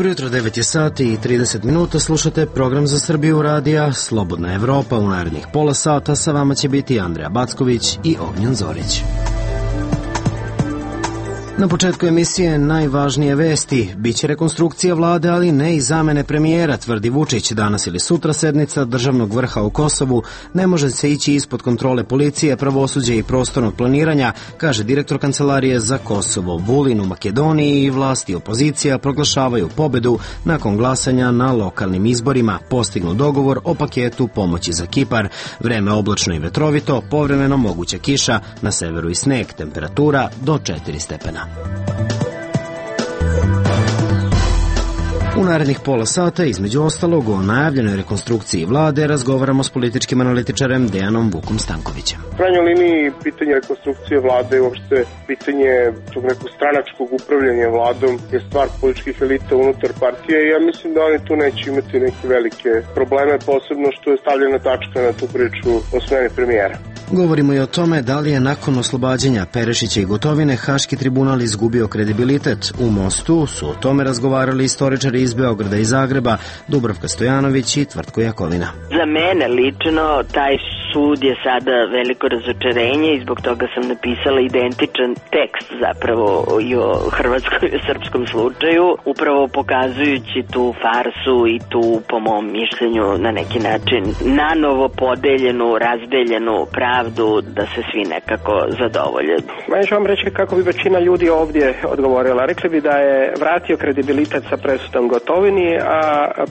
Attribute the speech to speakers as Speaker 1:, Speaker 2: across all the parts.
Speaker 1: Dobro jutro, 9 je sati i 30 minuta, slušate program za Srbiju radija Slobodna Evropa. U narednih pola sata sa vama će biti Andreja Backović i Ognjen Zorić. Na početku emisije najvažnije vesti. Biće rekonstrukcija vlade, ali ne i zamene premijera, tvrdi Vučić. Danas ili sutra sednica državnog vrha u Kosovu. Ne može se ići ispod kontrole policije, pravosuđa i prostornog planiranja, kaže direktor Kancelarije za Kosovo. Vulin u Makedoniji i vlasti i opozicija proglašavaju pobedu nakon glasanja na lokalnim izborima. Postignu dogovor o paketu pomoći za Kipar. Vreme oblačno i vetrovito, povremeno moguća kiša, na severu i sneg, temperatura do 4 stepena. U narednih pola sata, između ostalog, o najavljenoj rekonstrukciji vlade razgovaramo s političkim analitičarem Dejanom Vukom Stankovićem.
Speaker 2: U krajnjoj liniji pitanje rekonstrukcije vlade, uopšte pitanje tog nekog stranačkog upravljanja vladom je stvar političkih elita unutar partije i ja mislim da oni tu neće imati neke velike probleme, posebno što je stavljena tačka na tu priču o smeni premijera.
Speaker 1: Govorimo i o tome da li je nakon oslobađanja Perešića i Gotovine Haški tribunal izgubio kredibilitet. U Mostu su o tome razgovarali istoričari iz Beograda i Zagreba, Dubravka Stojanović i Tvrtko Jakovina.
Speaker 3: Za mene lično taj sud je sada veliko razočarenje i zbog toga sam napisala identičan tekst zapravo i o hrvatskom i o srpskom slučaju, upravo pokazujući tu farsu i tu, po mom mišljenju, na neki način nanovo podeljenu, razdeljenu pravdu da se svi nekako zadovolje.
Speaker 4: Ja ću vam reći kako bi većina ljudi ovdje odgovorila. Rekli bi da je vratio kredibilitet sa presudom Gotovini, a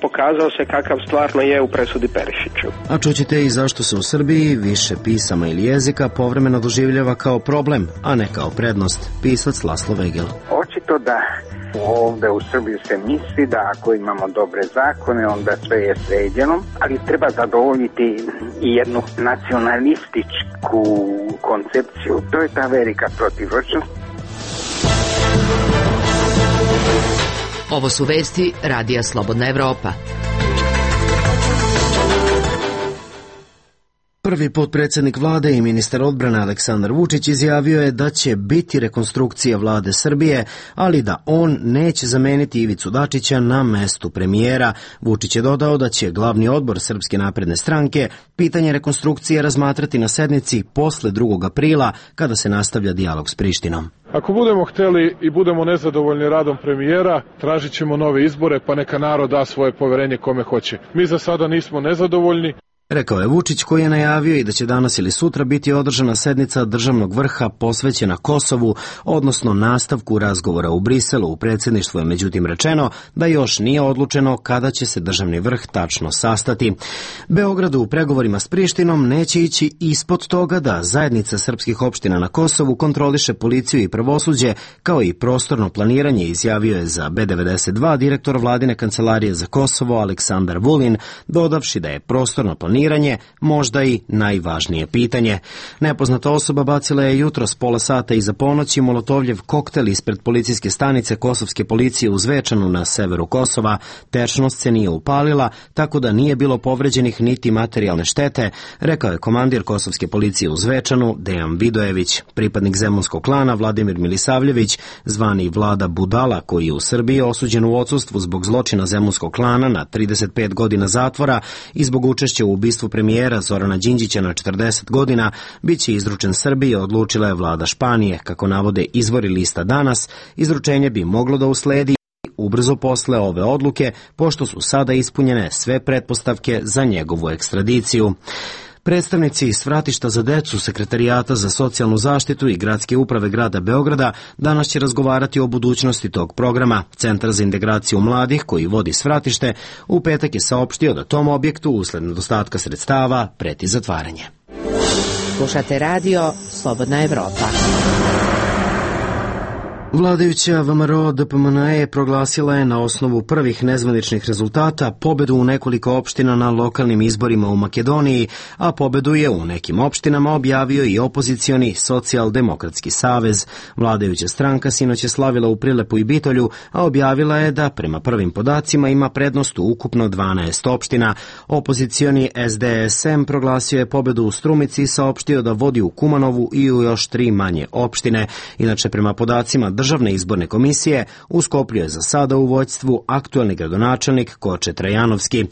Speaker 4: pokazao se kakav stvarno je u presudi Perišiću.
Speaker 1: A čućete i zašto se u Srbiji više pisama ili jezika povremeno doživljava kao problem, a ne kao prednost. Pisac Laslo Vegel.
Speaker 5: Očito da ovde u Srbiji se misli da ako imamo dobre zakone, onda sve je sređeno, ali treba zadovoljiti i jednu nacionalističku koncepciju. To je ta velika protivročnost.
Speaker 6: Ovo su vesti Radija Slobodna Evropa.
Speaker 1: Prvi potpredsjednik vlade i ministar odbrane Aleksandar Vučić izjavio je da će biti rekonstrukcija vlade Srbije, ali da on neće zameniti Ivicu Dačića na mestu premijera. Vučić je dodao da će glavni odbor Srpske napredne stranke pitanje rekonstrukcije razmatrati na sednici posle 2. aprila, kada se nastavlja dijalog s Prištinom.
Speaker 7: Ako budemo hteli i budemo nezadovoljni radom premijera, tražit ćemo nove izbore, pa neka narod da svoje poverenje kome hoće. Mi za sada nismo nezadovoljni.
Speaker 1: Rekao je Vučić, koji je najavio i da će danas ili sutra biti održana sednica državnog vrha posvećena Kosovu, odnosno nastavku razgovora u Briselu. U predsjedništvu je međutim rečeno da još nije odlučeno kada će se državni vrh tačno sastati. Beogradu u pregovorima s Prištinom neće ići ispod toga da zajednica srpskih opština na Kosovu kontroliše policiju i pravosuđe, kao i prostorno planiranje, izjavio je za B92 direktor vladine Kancelarije za Kosovo Aleksandar Vulin, dodavši da je prostorno planiranje možda i najvažnije pitanje. Nepoznata osoba bacila je jutros pola sata iza ponoći molotovljev koktel ispred policijske stanice kosovske policije u Zvečanu na severu Kosova. Tečnost se nije upalila, tako da nije bilo povređenih niti materijalne štete, rekao je komandir kosovske policije u Zvečanu Dejan Vidojević. Pripadnik zemunskog klana Vladimir Milisavljević, zvani Vlada Budala, koji je u Srbiji osuđen u odsustvu zbog zločina zemunskog klana na 35 godina zatvora i zbog učešća u ubistvu premijera Zorana Đinđića na 40 godina, bit će izručen Srbiji, odlučila je vlada Španije. Kako navode izvori lista Danas, izručenje bi moglo da usledi ubrzo posle ove odluke, pošto su sada ispunjene sve pretpostavke za njegovu ekstradiciju. Predstavnici Svratišta za decu, Sekretarijata za socijalnu zaštitu i Gradske uprave grada Beograda danas će razgovarati o budućnosti tog programa. Centar za integraciju mladih, koji vodi Svratište, u petak je saopštio da tom objektu usled nedostatka sredstava preti zatvaranje.
Speaker 6: Slušate radio Slobodna Evropa.
Speaker 1: Vladajuća VMRO DPMNE proglasila je na osnovu prvih nezvaničnih rezultata pobedu u nekoliko opština na lokalnim izborima u Makedoniji, a pobedu je u nekim opštinama objavio i opozicioni Socijaldemokratski savez. Vladajuća stranka sinoć je slavila u Prilepu i Bitolju, a objavila je da prema prvim podacima ima prednost u ukupno 12 opština. Opozicioni SDSM proglasio je pobedu u Strumici i saopštio da vodi u Kumanovu i u još 3 manje opštine. Inače, prema podacima Državne izborne komisije u Skoplju je za sada u vođstvu aktuelni gradonačelnik Koče Trajanovski.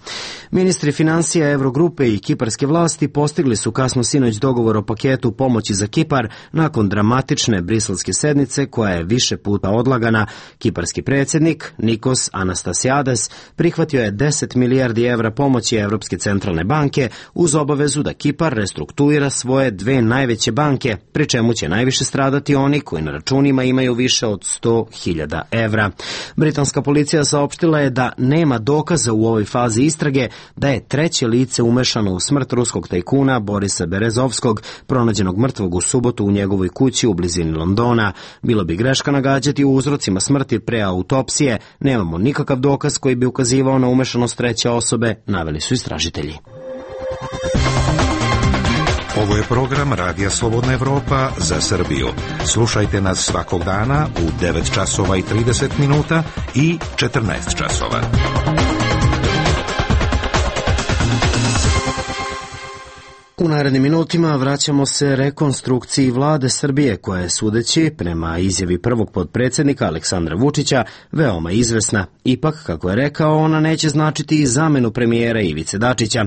Speaker 1: Ministri financija Evrogrupe i kiparske vlasti postigli su kasno sinoć dogovor o paketu pomoći za Kipar nakon dramatične briselske sednice koja je više puta odlagana. Kiparski predsjednik Nikos Anastasiades prihvatio je 10 milijardi evra pomoći Evropske centralne banke uz obavezu da Kipar restrukturira svoje dve najveće banke, pri čemu će najviše stradati oni koji na računima imaju više od 100.000 evra. Britanska policija saopštila je da nema dokaza u ovoj fazi istrage da je treće lice umešano u smrt ruskog tajkuna Borisa Berezovskog, pronađenog mrtvog u subotu u njegovoj kući u blizini Londona. Bilo bi greška nagađati u uzrocima smrti pre autopsije. Nemamo nikakav dokaz koji bi ukazivao na umešanost treće osobe, naveli su istražitelji.
Speaker 8: Ovo je program Radija Slobodna Evropa za Srbiju. Slušajte nas svakog dana u 9 časova i 30 minuta i 14 časova.
Speaker 1: U narednim minutima vraćamo se rekonstrukciji vlade Srbije koja je, sudeći prema izjavi prvog potpredsjednika Aleksandra Vučića, veoma izvesna. Ipak, kako je rekao, ona neće značiti i zamenu premijera Ivice Dačića.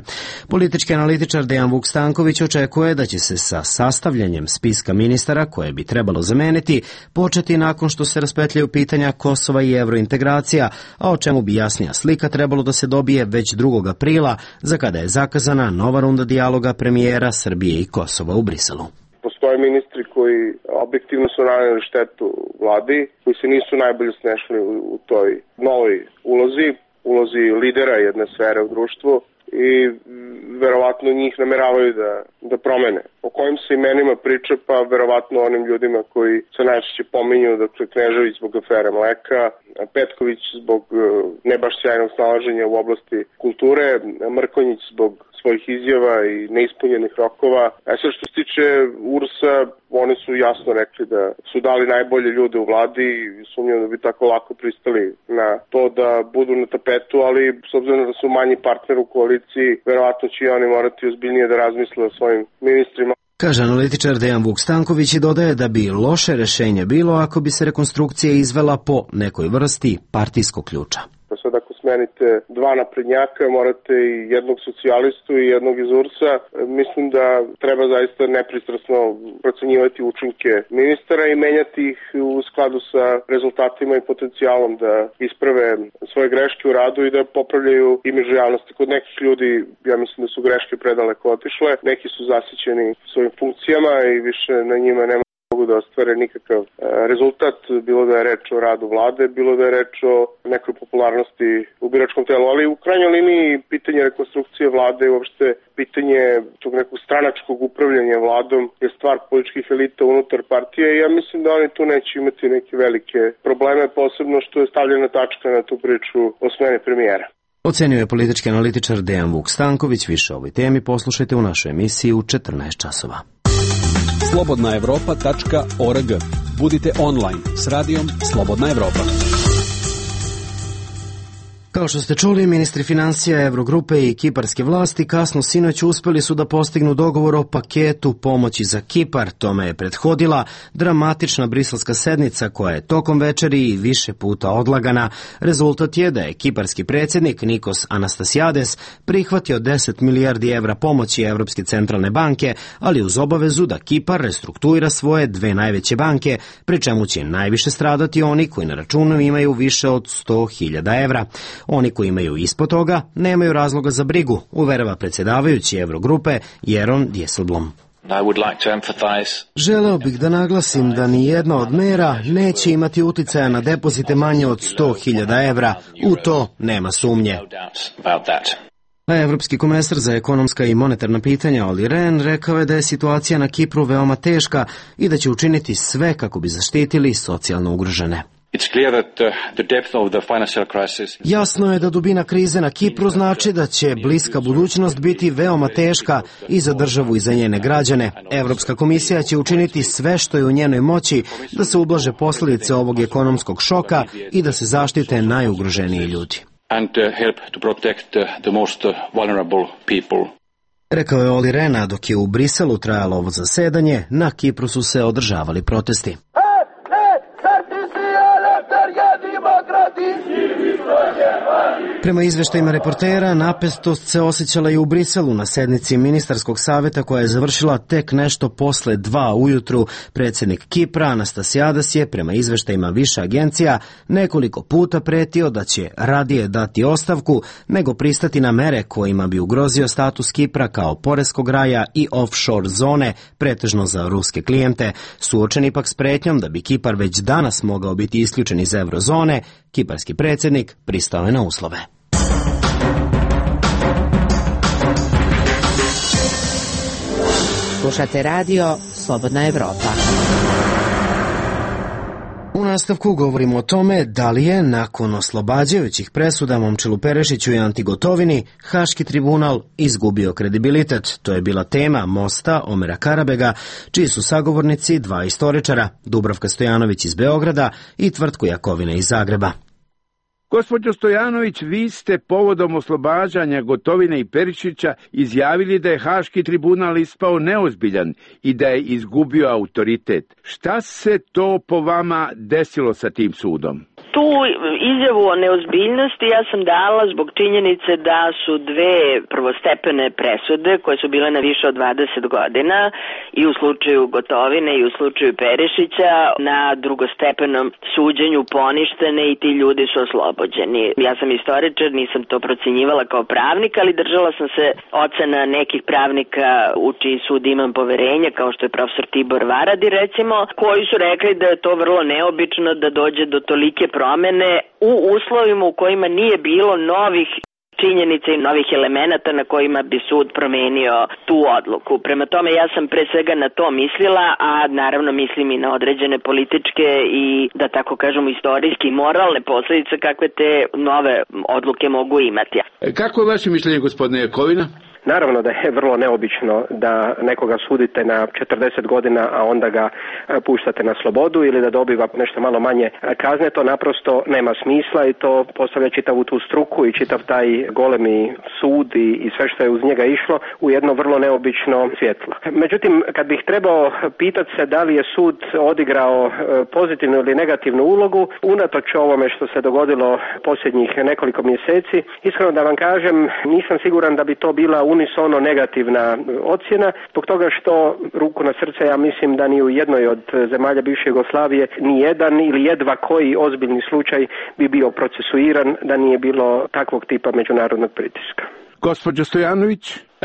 Speaker 1: Politički analitičar Dejan Vuk Stanković očekuje da će se sa sastavljanjem spiska ministara koje bi trebalo zameniti početi nakon što se raspetljaju pitanja Kosova i evrointegracija, a o čemu bi jasnija slika trebalo da se dobije već 2. aprila, za kada je zakazana nova runda dijaloga premijera Srbije i Kosova u Briselu.
Speaker 2: Postoje ministri koji objektivno su naneli štetu vladi, koji se nisu najbolje snešli u toj novoj ulozi lidera jedne sfere u društvu i verovatno njih nameravaju da promene. O kojim se imenima priča, pa verovatno onim ljudima koji se najčešće pominju, dakle Knežević zbog afere mleka, Petković zbog ne baš sjajnog snalaženja u oblasti kulture, Mrkonjić zbog svojih izjava i neispunjenih rokova. Sve što se tiče URS-a, oni su jasno rekli da su dali najbolje ljude u vladi i sumnjam da bi tako lako pristali na to da budu na tapetu, ali s obzirom da su manji partner u koaliciji, verovatno će i oni morati ozbiljnije da razmisle o svojim ministrima.
Speaker 1: Kaže analitičar Dejan Vuk Stanković i dodaje da bi loše rešenje bilo ako bi se rekonstrukcija izvela po nekoj vrsti partijskog ključa.
Speaker 2: Sad ako smenite dva naprednjaka, morate i jednog socijalistu i jednog iz URS-a. Mislim da treba zaista nepristrasno procenjivati učinke ministara i menjati ih u skladu sa rezultatima i potencijalom da isprave svoje greške u radu i da popravljaju imidž javnosti. Kod nekih ljudi, ja mislim da su greške predaleko otišle, neki su zasićeni svojim funkcijama i više na njima nema da ostvare nikakav rezultat, bilo da je reč o radu vlade, bilo da je reč o nekoj popularnosti u biračkom telu, ali u krajnjoj liniji pitanje rekonstrukcije vlade i uopšte pitanje tog nekog stranačkog upravljanja vladom je stvar političkih elita unutar partije i ja mislim da oni tu neće imati neke velike probleme, posebno što je stavljena tačka na tu priču o smeni premijera.
Speaker 1: Ocenio je politički analitičar Dejan Vuk Stanković. Više o ovoj temi poslušajte u našoj emisiji u 14 časova.
Speaker 9: slobodnaevropa.org. Budite online s radijom Slobodna Evropa.
Speaker 1: Kao što ste čuli, ministri financija Evrogrupe i kiparske vlasti kasno sinoć uspeli su da postignu dogovor o paketu pomoći za Kipar. Tome je prethodila dramatična briselska sednica koja je tokom večeri i više puta odlagana. Rezultat je da je kiparski predsjednik Nikos Anastasiades prihvatio 10 milijardi evra pomoći Evropske centralne banke, ali uz obavezu da Kipar restrukturira svoje dve najveće banke, pri čemu će najviše stradati oni koji na računu imaju više od 100.000 evra. Oni koji imaju ispod toga nemaju razloga za brigu, uverava predsjedavajući Evrogrupe Jeron Dijsselblom. Želeo bih da naglasim da ni jedna od mera neće imati uticaja na depozite manje od 100.000 evra. U to nema sumnje. A evropski komesar za ekonomska i monetarna pitanja Olli Rehn rekao je da je situacija na Kipru veoma teška i da će učiniti sve kako bi zaštitili socijalno ugrožene. Jasno je da dubina krize na Kipru znači da će bliska budućnost biti veoma teška i za državu i za njene građane. Evropska komisija će učiniti sve što je u njenoj moći da se ublaže posljedice ovog ekonomskog šoka i da se zaštite najugroženiji ljudi. Rekao je Olli Rehn, dok je u Briselu trajalo ovo zasedanje, na Kipru su se održavali protesti. Prema izveštajima reportera, napestost se osjećala i u Briselu na sednici ministarskog saveta koja je završila tek nešto posle 2 ujutru. Predsjednik Kipra Anastasiadas je, prema izveštajima više agencija, nekoliko puta pretio da će radije dati ostavku nego pristati na mere kojima bi ugrozio status Kipra kao poreskog raja i offshore zone, pretežno za ruske klijente. Suočeni pak s pretnjom da bi Kipar već danas mogao biti isključen iz eurozone, kiparski predsjednik pristao je na uslove.
Speaker 6: Slušate radio Slobodna Evropa.
Speaker 1: U nastavku govorimo o tome da li je nakon oslobađajućih presuda Momčilu Perešiću i Anti Gotovini Haški tribunal izgubio kredibilitet. To je bila tema Mosta Omera Karabega, čiji su sagovornici 2 istoričara, Dubravka Stojanović iz Beograda i Tvrtko Jakovina iz Zagreba.
Speaker 10: Gospođo Stojanović, vi ste povodom oslobađanja Gotovine i Perišića izjavili da je Haški tribunal ispao neozbiljan i da je izgubio autoritet. Šta se to po vama desilo sa tim sudom?
Speaker 3: Tu izjavu o neozbiljnosti ja sam dala zbog činjenice da su 2 prvostepene presude koje su bile na više od 20 godina i u slučaju Gotovine i u slučaju Perišića na drugostepenom suđenju poništene i ti ljudi su oslobođeni. Ja sam istoričar, nisam to procenjivala kao pravnik, ali držala sam se ocena nekih pravnika u čiji sud imam poverenje, kao što je profesor Tibor Varadi recimo, koji su rekli da je to vrlo neobično da dođe do tolike promene u uslovima u kojima nije bilo novih činjenica i novih elemenata na kojima bi sud promenio tu odluku. Prema tome ja sam pre svega na to mislila, a naravno mislim i na određene političke i, da tako kažemo, istorijski i moralne posljedice kakve te nove odluke mogu imati.
Speaker 10: Kako je vaše mišljenje, gospodine Jakovina?
Speaker 4: Naravno da je vrlo neobično da nekoga sudite na 40 godina, a onda ga puštate na slobodu ili da dobiva nešto malo manje kazne. To naprosto nema smisla i to postavlja čitavu tu struku i čitav taj golemi sud i sve što je uz njega išlo u jedno vrlo neobično svjetlo. Međutim, kad bih trebao pitati se da li je sud odigrao pozitivnu ili negativnu ulogu, unatoč ovome što se dogodilo posljednjih nekoliko mjeseci, iskreno da vam kažem, nisam siguran da bi to bila unisono negativna ocjena, zbog toga što, ruku na srce, ja mislim da ni u jednoj od zemalja bivše Jugoslavije ni jedan ili jedva koji ozbiljni slučaj bi bio procesuiran da nije bilo takvog tipa međunarodnog pritiska.
Speaker 10: Gospođo Stojanović?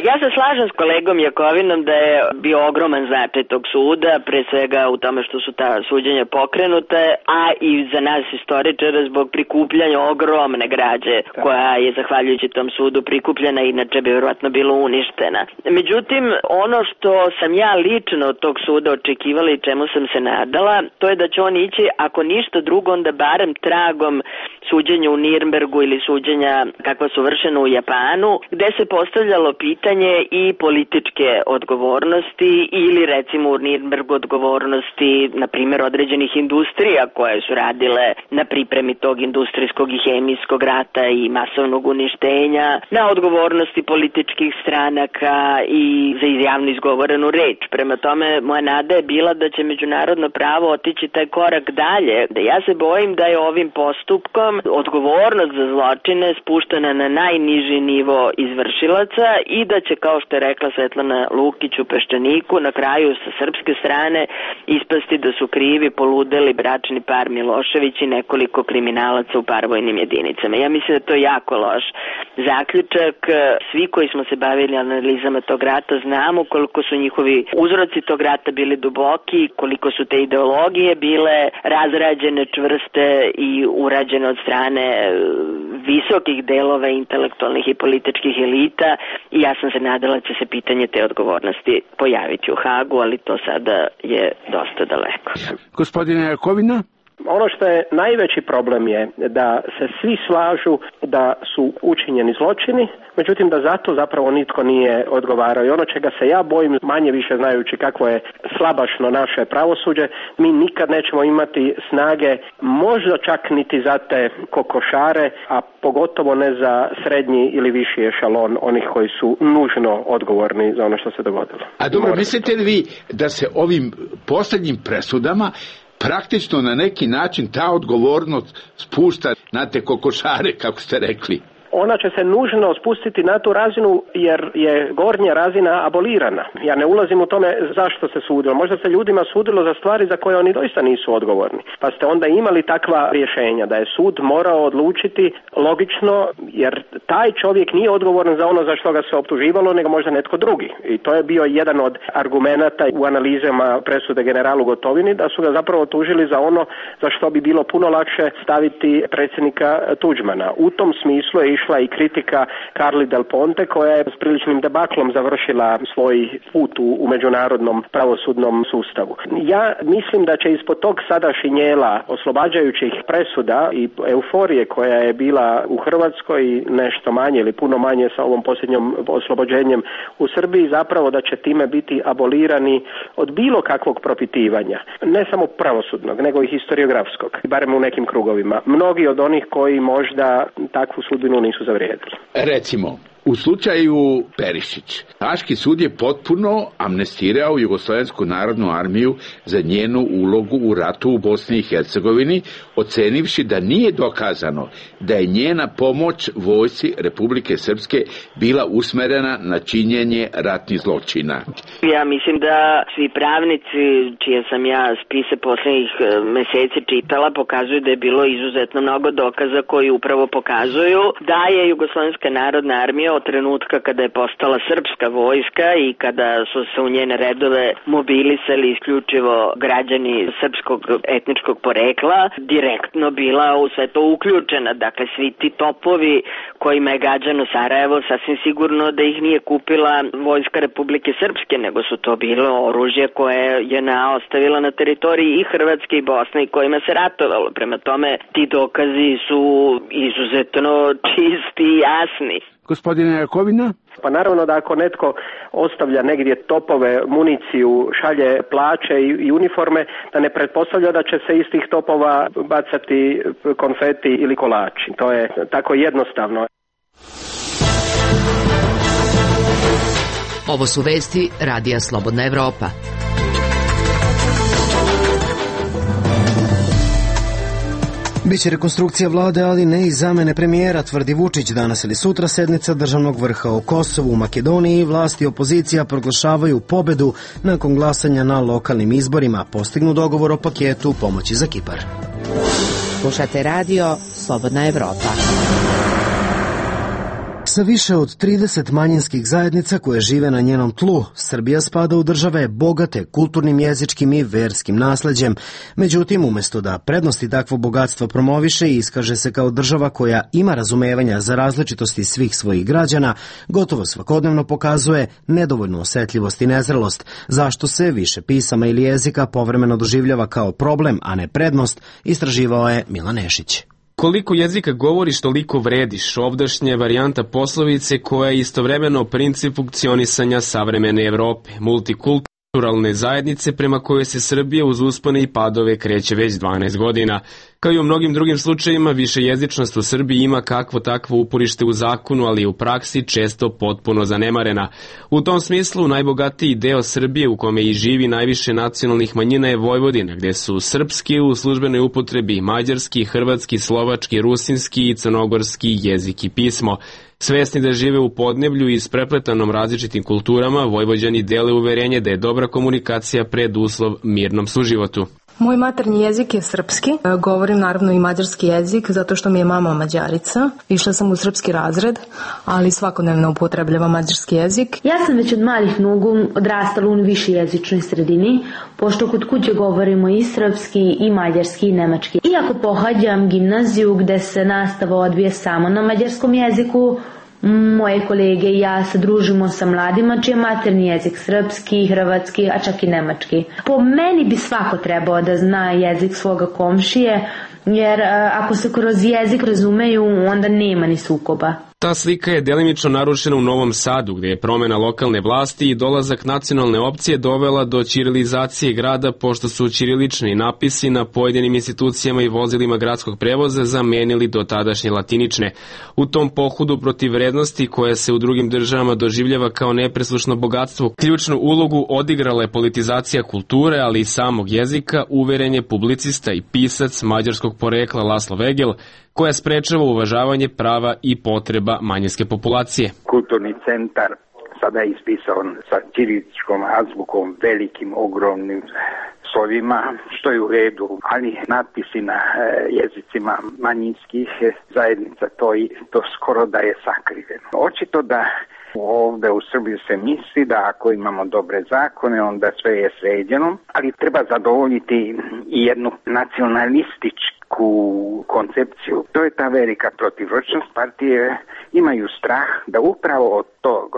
Speaker 3: Ja se slažem s kolegom Jakovinom da je bio ogroman značaj tog suda, pre svega u tome što su ta suđenja pokrenute, a i za nas istoričara zbog prikupljanja ogromne građe koja je zahvaljujući tom sudu prikupljena, inače bi vjerojatno bilo uništena. Međutim, ono što sam ja lično od tog suda očekivala i čemu sam se nadala, to je da će on ići, ako ništa drugo, onda barem tragom suđenja u Nirnbergu ili suđenja kakva su vršena u Japanu, gde se postavljalo pitanje i političke odgovornosti ili recimo u Nirnbergu odgovornosti, na primjer, određenih industrija koje su radile na pripremi tog industrijskog i hemijskog rata i masovnog uništenja, na odgovornosti političkih stranaka i za javno izgovorenu reč. Prema tome, moja nada je bila da će međunarodno pravo otići taj korak dalje. Da ja se bojim da je ovim postupkom odgovornost za zločine spuštena na najniži nivo izvršilaca i da će, kao što je rekla Svetlana Lukić u Peščaniku, na kraju sa srpske strane ispasti da su krivi poludeli bračni par Milošević i nekoliko kriminalaca u paravojnim jedinicama. Ja mislim da je to jako loš zaključak. Svi koji smo se bavili analizama tog rata znamo koliko su njihovi uzroci tog rata bili duboki, koliko su te ideologije bile razrađene, čvrste i urađene od strane visokih delova intelektualnih i političkih elita, i ja sam se nadala da će se pitanje te odgovornosti pojaviti u Hagu, ali to sada je dosta daleko.
Speaker 10: Gospodine Jakovina?
Speaker 4: Ono što je najveći problem je da se svi slažu da su učinjeni zločini, međutim da zato zapravo nitko nije odgovarao. I ono čega se ja bojim, manje više znajući kako je slabašno naše pravosuđe, mi nikad nećemo imati snage, možda čak niti za te kokošare, a pogotovo ne za srednji ili viši ešalon onih koji su nužno odgovorni za ono što se dogodilo.
Speaker 10: A dobro, mislite li vi da se ovim posljednjim presudama praktično na neki način ta odgovornost spušta na te kokošare, kako ste rekli?
Speaker 4: ona će se nužno spustiti na tu razinu jer je gornja razina abolirana. Ja ne ulazim u tome zašto se sudilo. Možda se ljudima sudilo za stvari za koje oni doista nisu odgovorni. Pa ste onda imali takva rješenja da je sud morao odlučiti logično, jer taj čovjek nije odgovoran za ono za što ga se optuživalo, nego možda netko drugi. I to je bio jedan od argumenata u analizama presude generalu Gotovini, da su ga zapravo tužili za ono za što bi bilo puno lakše staviti predsjednika Tuđmana. U tom smislu je išla i kritika Carli Del Ponte, koja je s priličnim debaklom završila svoj put u međunarodnom pravosudnom sustavu. Ja mislim da će ispod tog sada šinjela oslobađajućih presuda i euforije koja je bila u Hrvatskoj nešto manje ili puno manje sa ovom posljednjom oslobođenjem u Srbiji, zapravo da će time biti abolirani od bilo kakvog propitivanja. Ne samo pravosudnog, nego i historiografskog, barem u nekim krugovima. Mnogi od onih koji možda takvu sudbinu nisu zavrijedili.
Speaker 10: Recimo, u slučaju Perišić, Haški sud je potpuno amnestirao Jugoslovensku narodnu armiju za njenu ulogu u ratu u Bosni i Hercegovini, ocenivši da nije dokazano da je njena pomoć vojsci Republike Srpske bila usmerena na činjenje ratnih zločina.
Speaker 3: Ja mislim da svi pravnici, čije sam ja spise posljednjih meseci čitala, pokazuju da je bilo izuzetno mnogo dokaza koji upravo pokazuju da je Jugoslovenska narodna armija od trenutka kada je postala srpska vojska i kada su se u njene redove mobilisali isključivo građani srpskog etničkog porekla, direktno bila u sve to uključena. Dakle, svi ti topovi kojima je gađano Sarajevo, sasvim sigurno da ih nije kupila vojska Republike Srpske, nego su to bilo oružje koje je ostavila na teritoriji i Hrvatske i Bosne i kojima se ratovalo. Prema tome, ti dokazi su izuzetno čisti i jasni.
Speaker 10: Gospodine Jakovina?
Speaker 4: Pa naravno da ako netko ostavlja negdje topove, municiju, šalje plaće i uniforme, da ne pretpostavlja da će se iz tih topova bacati konfeti ili kolači. To je tako jednostavno.
Speaker 6: Ovo su vesti Radija Slobodna Evropa.
Speaker 1: Biće rekonstrukcija vlade, ali ne i zamene premijera, tvrdi Vučić. Danas ili sutra sednica državnog vrha o Kosovu. U Makedoniji vlasti i opozicija proglašavaju pobedu nakon glasanja na lokalnim izborima. Postignu dogovor o paketu pomoći za Kipar.
Speaker 6: Slušate radio Slobodna Evropa.
Speaker 1: Sa više od 30 manjinskih zajednica koje žive na njenom tlu, Srbija spada u države bogate kulturnim, jezičkim i verskim nasleđem. Međutim, umjesto da prednosti takvo bogatstvo promoviše i iskaže se kao država koja ima razumevanja za različitosti svih svojih građana, gotovo svakodnevno pokazuje nedovoljnu osjetljivost i nezrelost, zašto se više pisama ili jezika povremeno doživljava kao problem, a ne prednost, istraživao je Milan Nešić.
Speaker 11: Koliko jezika govoriš, toliko vrediš. Ovdašnja varijanta poslovice koja je istovremeno princip funkcionisanja savremene Evrope, multikulturalne zajednice prema kojoj se Srbija uz uspone i padove kreće već 12 godina. Kao i u mnogim drugim slučajima, višejezičnost u Srbiji ima kakvo takvo uporište u zakonu, ali u praksi često potpuno zanemarena. U tom smislu, najbogatiji deo Srbije u kome i živi najviše nacionalnih manjina je Vojvodina, gde su srpski u službenoj upotrebi mađarski, hrvatski, slovački, rusinski i crnogorski jezik i pismo. Svesni da žive u podneblju i isprepletanom različitim kulturama, Vojvođani dele uverenje da je dobra komunikacija preduslov mirnom suživotu.
Speaker 12: Moj maternji jezik je srpski, govorim naravno i mađarski jezik zato što mi je mama Mađarica. Išla sam u srpski razred, ali svakodnevno upotrebljavam mađarski jezik.
Speaker 13: Ja sam već od malih nogu odrastala u višejezičnoj sredini, pošto kod kuće govorimo i srpski, i mađarski, i nemački. Iako pohađam gimnaziju gde se nastava odvija samo na mađarskom jeziku, moje kolege i ja se družimo sa mladima čiji je maternji jezik srpski, hrvatski, a čak i nemački. Po meni bi svako trebao da zna jezik svoga komšije, jer ako se kroz jezik razumeju, onda nema ni sukoba.
Speaker 11: Ta slika je delimično narušena u Novom Sadu, gde je promena lokalne vlasti i dolazak nacionalne opcije dovela do ćirilizacije grada, pošto su ćirilični napisi na pojedinim institucijama i vozilima gradskog prevoza zamenili do tadašnje latinične. U tom pohodu protiv vrednosti koja se u drugim državama doživljava kao nepreslušno bogatstvo, ključnu ulogu odigrala je politizacija kulture, ali i samog jezika, uveren je publicista i pisac mađarskog porekla Laslo Vegel, koja sprečava uvažavanje prava i potreba manjinske populacije.
Speaker 5: Kulturni centar sada je ispisan sa ćiriličkom azbukom, velikim, ogromnim slovima, što je u redu, ali natpisi na jezicima manjinskih zajednica, to skoro da je sakriveno. Očito da ovde u Srbiji se misli da ako imamo dobre zakone, onda sve je sređeno, ali treba zadovoljiti i jednu nacionalističku koncepciju. To je ta velika protivručnost. Partije imaju strah da upravo od tog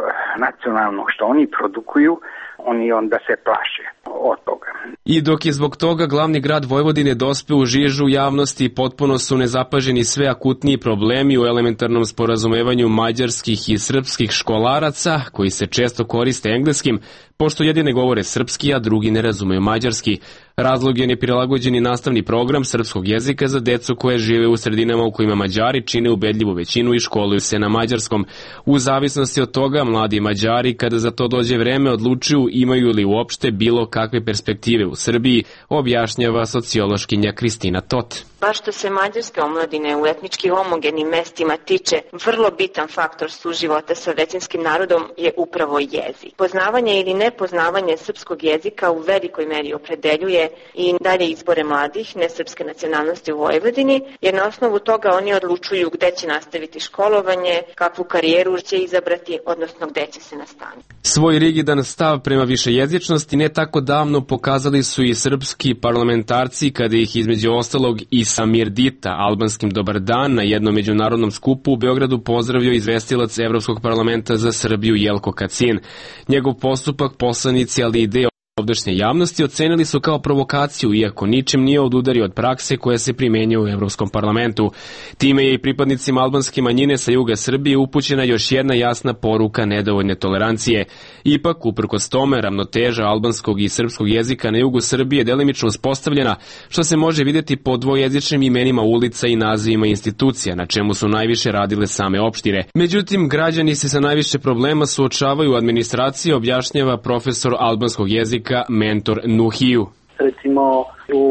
Speaker 5: nacionalnog što oni produkuju, oni onda se plaše od toga.
Speaker 11: I dok je zbog toga glavni grad Vojvodine dospeo u žižu javnosti, potpuno su nezapaženi sve akutniji problemi u elementarnom sporazumevanju mađarskih i srpskih školaraca, koji se često koriste engleskim, pošto jedine govore srpski, a drugi ne razumeju mađarski. Razlog je neprilagođeni nastavni program srpskog jezika za decu koje žive u sredinama u kojima Mađari čine ubedljivu većinu i školuju se na mađarskom. U zavisnosti od toga, mladi Mađari, kada za to dođe vreme, odlučuju imaju li uopšte bilo kakve perspektive u Srbiji, objašnjava sociološkinja Kristina Tot.
Speaker 14: Baš što se mađarske omladine u etnički homogenim mestima tiče, vrlo bitan faktor suživota sa većinskim narodom je upravo jezik. Poznavanje ili nepoznavanje srpskog jezika u velikoj meri opredeljuje i dalje izbore mladih nesrpske nacionalnosti u Vojvodini, jer na osnovu toga oni odlučuju gde će nastaviti školovanje, kakvu karijeru će izabrati, odnosno gde će se nastaniti.
Speaker 11: Svoj rigidan stav prema višejezičnosti ne tako davno pokazali su i srpski parlamentarci kada ih između ostalog i Samir Dita, albanskim dobar dan, na jednom međunarodnom skupu u Beogradu pozdravio izvestilac Evropskog parlamenta za Srbiju Jelko Kacin. Njegov postupak poslanici, ali i deo ovdašnje javnosti ocenili su kao provokaciju, iako ničim nije odudario od prakse koja se primenjuje u Evropskom parlamentu. Time je i pripadnicima albanske manjine sa juga Srbije upućena još jedna jasna poruka nedovoljne tolerancije. Ipak, uprkos tome, ravnoteža albanskog i srpskog jezika na jugu Srbije je delimično uspostavljena, što se može vidjeti po dvojezičnim imenima ulica i nazivima institucija, na čemu su najviše radile same opštine. Međutim, građani se sa najviše problema suočavaju u administraciji, objašnjava profesor albanskog jezika mentor Nuhiju.
Speaker 15: Recimo u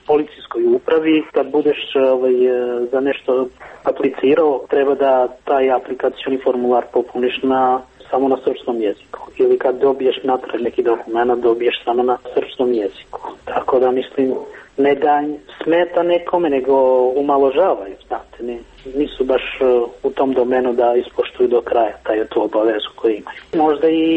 Speaker 15: policijskoj upravi kad budeš za nešto aplicirao, treba da taj aplikacioni formular popuniš samo na srpskom jeziku. Ili kad dobiješ natrag neki dokument, dobiješ samo na srpskom jeziku. Tako da mislim, ne da smeta nekome, nego umaložavaju, znate, nisu baš u tom domenu da ispoštuju do kraja tu obavezu koju imaju. Možda i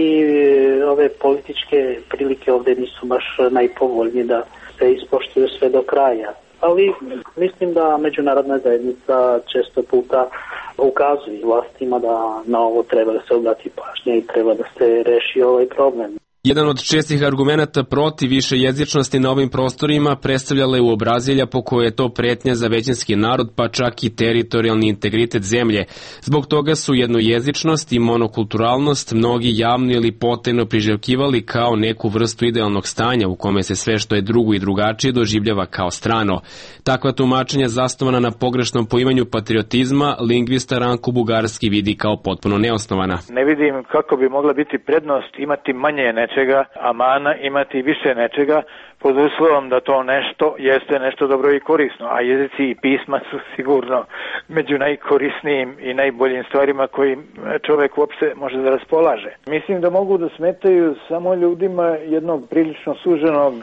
Speaker 15: ove političke prilike ovdje nisu baš najpovoljnije da se ispoštuju sve do kraja, ali mislim da međunarodna zajednica često puta ukazuje vlastima da na ovo treba da se obrati pažnja i treba da se reši ovaj problem.
Speaker 11: Jedan od čestih argumenata protiv višejezičnosti na ovim prostorima predstavljala je uobrazilja po kojoj je to pretnja za većinski narod, pa čak i teritorijalni integritet zemlje. Zbog toga su jednojezičnost i monokulturalnost mnogi javno ili potajno priželjkivali kao neku vrstu idealnog stanja u kome se sve što je drugo i drugačije doživljava kao strano. Takva tumačenja zasnovana na pogrešnom poimanju patriotizma lingvista Ranko Bugarski vidi kao potpuno neosnovana.
Speaker 16: Ne vidim kako bi mogla biti prednost imati manje nečega, a mana imati više nečega, pod uslovom da to nešto jeste nešto dobro i korisno, a jezici i pisma su sigurno među najkorisnijim i najboljim stvarima kojim čovjek uopšte može da raspolaže. Mislim da mogu da smetaju samo ljudima jednog prilično suženog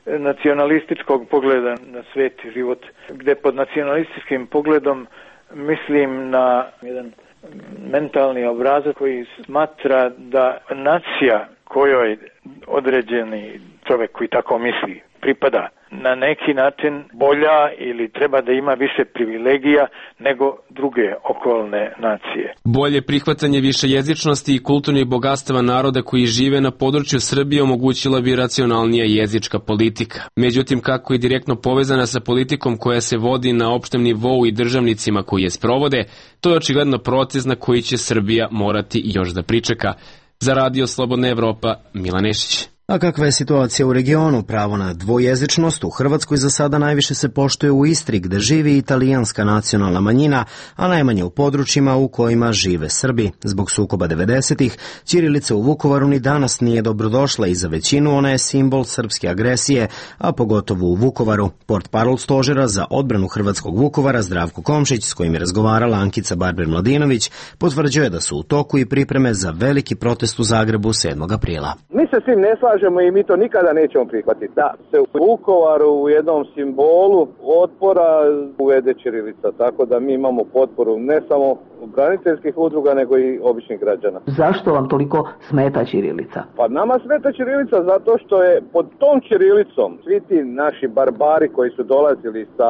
Speaker 16: nacionalističkog pogleda na svet i život, gde pod nacionalističkim pogledom mislim na jedan mentalni obrazac koji smatra da nacija kojoj određeni čovjek koji tako misli pripada na neki način bolja ili treba da ima više privilegija nego druge okolne nacije.
Speaker 11: Bolje prihvatanje višejezičnosti i kulturnih bogatstava naroda koji žive na području Srbije omogućila bi racionalnija jezička politika. Međutim, kako je direktno povezana sa politikom koja se vodi na opštem nivou i državnicima koji je sprovode, to je očigledno proces na koji će Srbija morati još da pričeka. Za Radio Slobodna Evropa, Milan Nešić.
Speaker 1: A kakva je situacija u regionu? Pravo na dvojezičnost u Hrvatskoj za sada najviše se poštuje u Istri, gde živi italijanska nacionalna manjina, a najmanje u područjima u kojima žive Srbi. Zbog sukoba 90-ih, ćirilica u Vukovaru ni danas nije dobrodošla i za većinu ona je simbol srpske agresije, a pogotovo u Vukovaru. Portparol stožera za odbranu hrvatskog Vukovara Zdravko Komšić, s kojim je razgovarala Ankica Barber-Mladinović, potvrđuje da su u toku i pripreme za veliki protest u Zagrebu 7. aprila.
Speaker 17: Mi se s tim ne slažemo i mi to nikada nećemo prihvatiti. Da se u Vukovaru u jednom simbolu otpora uvede ćirilica, tako da mi imamo potporu ne samo braniteljskih udruga, nego i običnih građana.
Speaker 18: Zašto vam toliko smeta ćirilica?
Speaker 17: Pa nama smeta ćirilica zato što je pod tom ćirilicom svi ti naši barbari koji su dolazili sa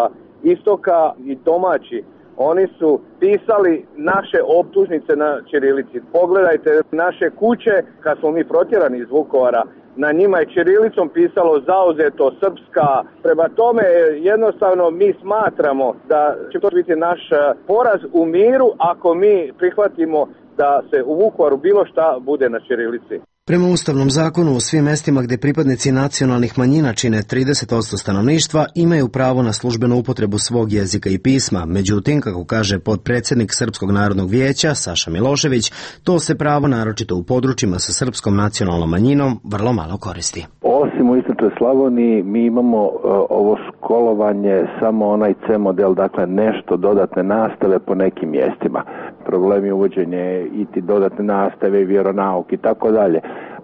Speaker 17: istoka i domaći, oni su pisali naše optužnice na ćirilici. Pogledajte naše kuće, kad smo mi protjerani iz Vukovara, na njima je ćirilicom pisalo zauzeto srpska. Prema tome, jednostavno mi smatramo da će to biti naš poraz u miru ako mi prihvatimo da se u Vukovaru bilo šta bude na ćirilici.
Speaker 1: Prema Ustavnom zakonu, u svim mestima gde pripadnici nacionalnih manjina čine 30% stanovništva imaju pravo na službenu upotrebu svog jezika i pisma. Međutim, kako kaže potpredsjednik Srpskog narodnog vijeća Saša Milošević, to se pravo naročito u područjima sa srpskom nacionalnom manjinom vrlo malo koristi.
Speaker 19: Osim u istočnoj Slavoniji mi imamo ovo školovanje samo onaj C model, dakle nešto dodatne nastave po nekim mjestima. Problemi uvođenje i ti dodatne nastave, vjeronauk i tako dalje.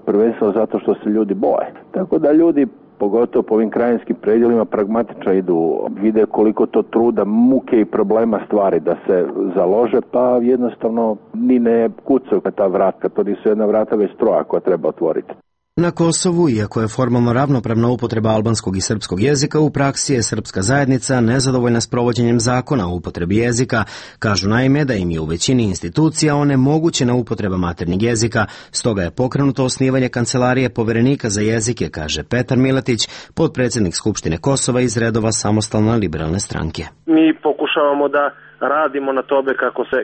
Speaker 19: Prvenstveno zato što se ljudi boje. Tako da ljudi, pogotovo po ovim krajinskim predjelima, pragmatično idu, vide koliko to truda, muke i problema stvari da se založe, pa jednostavno ni ne kucaju na ta vrata, to nisu jedna vrata već troja koja treba otvoriti.
Speaker 1: Na Kosovu, iako je formalno ravnopravna upotreba albanskog i srpskog jezika, u praksi je srpska zajednica nezadovoljna s provođenjem zakona o upotrebi jezika. Kažu naime da im je u većini institucija onemogućena upotreba maternjeg jezika, stoga je pokrenuto osnivanje kancelarije poverenika za jezike, kaže Petar Miletić, potpredsjednik Skupštine Kosova iz redova Samostalne liberalne stranke.
Speaker 20: Mi pokušavamo da radimo na tome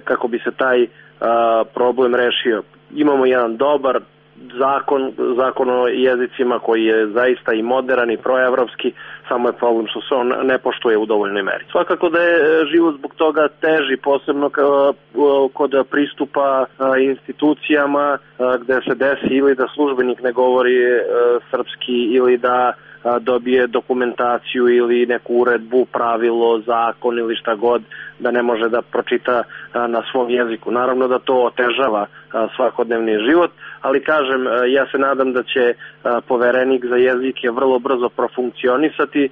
Speaker 20: kako bi se taj problem rešio. Imamo jedan dobar zakon o jezicima koji je zaista i modern i proevropski, samo je problem što se on ne poštuje u dovoljnoj meri. Svakako da je život zbog toga teži, posebno kod pristupa institucijama gde se desi ili da službenik ne govori srpski ili da dobije dokumentaciju ili neku uredbu, pravilo, zakon ili šta god, da ne može da pročita na svom jeziku. Naravno da to otežava svakodnevni život, ali kažem, ja se nadam da će poverenik za jezike vrlo brzo profunkcionisati.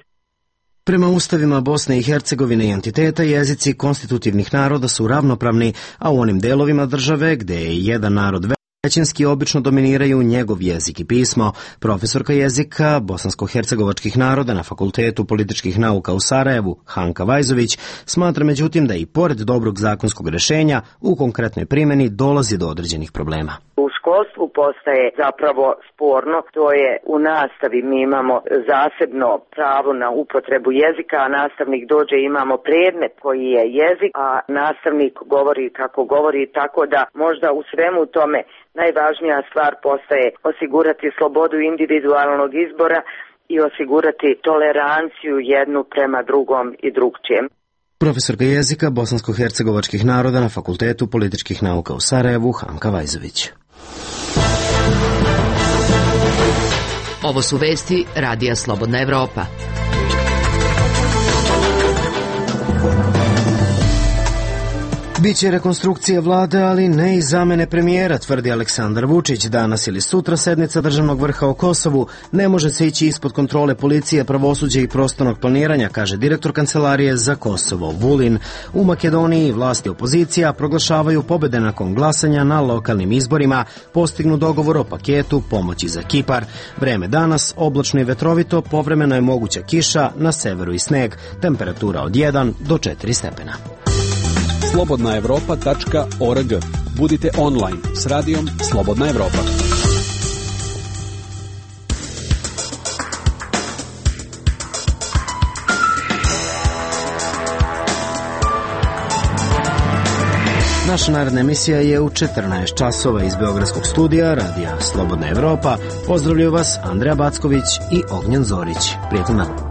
Speaker 1: Prema ustavima Bosne i Hercegovine i entiteta, jezici konstitutivnih naroda su ravnopravni, a u onim delovima države gde je jedan narod većinski obično dominiraju njegov jezik i pismo. Profesorka jezika bosansko-hercegovačkih naroda na Fakultetu političkih nauka u Sarajevu, Hanka Vajzović, smatra međutim da i pored dobrog zakonskog rešenja u konkretnoj primjeni dolazi do određenih problema.
Speaker 21: U školstvu postaje zapravo sporno, to je u nastavi mi imamo zasebno pravo na upotrebu jezika, a nastavnik dođe, imamo predmet koji je jezik, a nastavnik govori kako govori, tako da možda u svemu tome najvažnija stvar postaje osigurati slobodu individualnog izbora i osigurati toleranciju jednu prema drugom i drugčijem.
Speaker 1: Profesorka jezika bosansko-hercegovačkih naroda na Fakultetu političkih nauka u Sarajevu, Hanka Vajzović.
Speaker 6: Ovo su vesti Radija Slobodna Evropa.
Speaker 1: Biće rekonstrukcija vlade, ali ne i zamene premijera, tvrdi Aleksandar Vučić. Danas ili sutra sednica državnog vrha o Kosovu ne može se ići ispod kontrole policije, pravosuđa i prostornog planiranja, kaže direktor Kancelarije za Kosovo Vulin. U Makedoniji vlasti i opozicija proglašavaju pobede nakon glasanja na lokalnim izborima, postignu dogovor o paketu pomoći za Kipar. Vreme danas oblačno i vetrovito, povremeno je moguća kiša, na severu i sneg, temperatura od 1 do 4 stepena.
Speaker 9: slobodnaevropa.org. Budite online s radijom Slobodna Evropa.
Speaker 1: Naša naredna emisija je u 14 časova iz Beogradskog studija Radija Slobodna Evropa. Pozdravljaju vas Andreja Backović i Ognjen Zorić. Prijatno.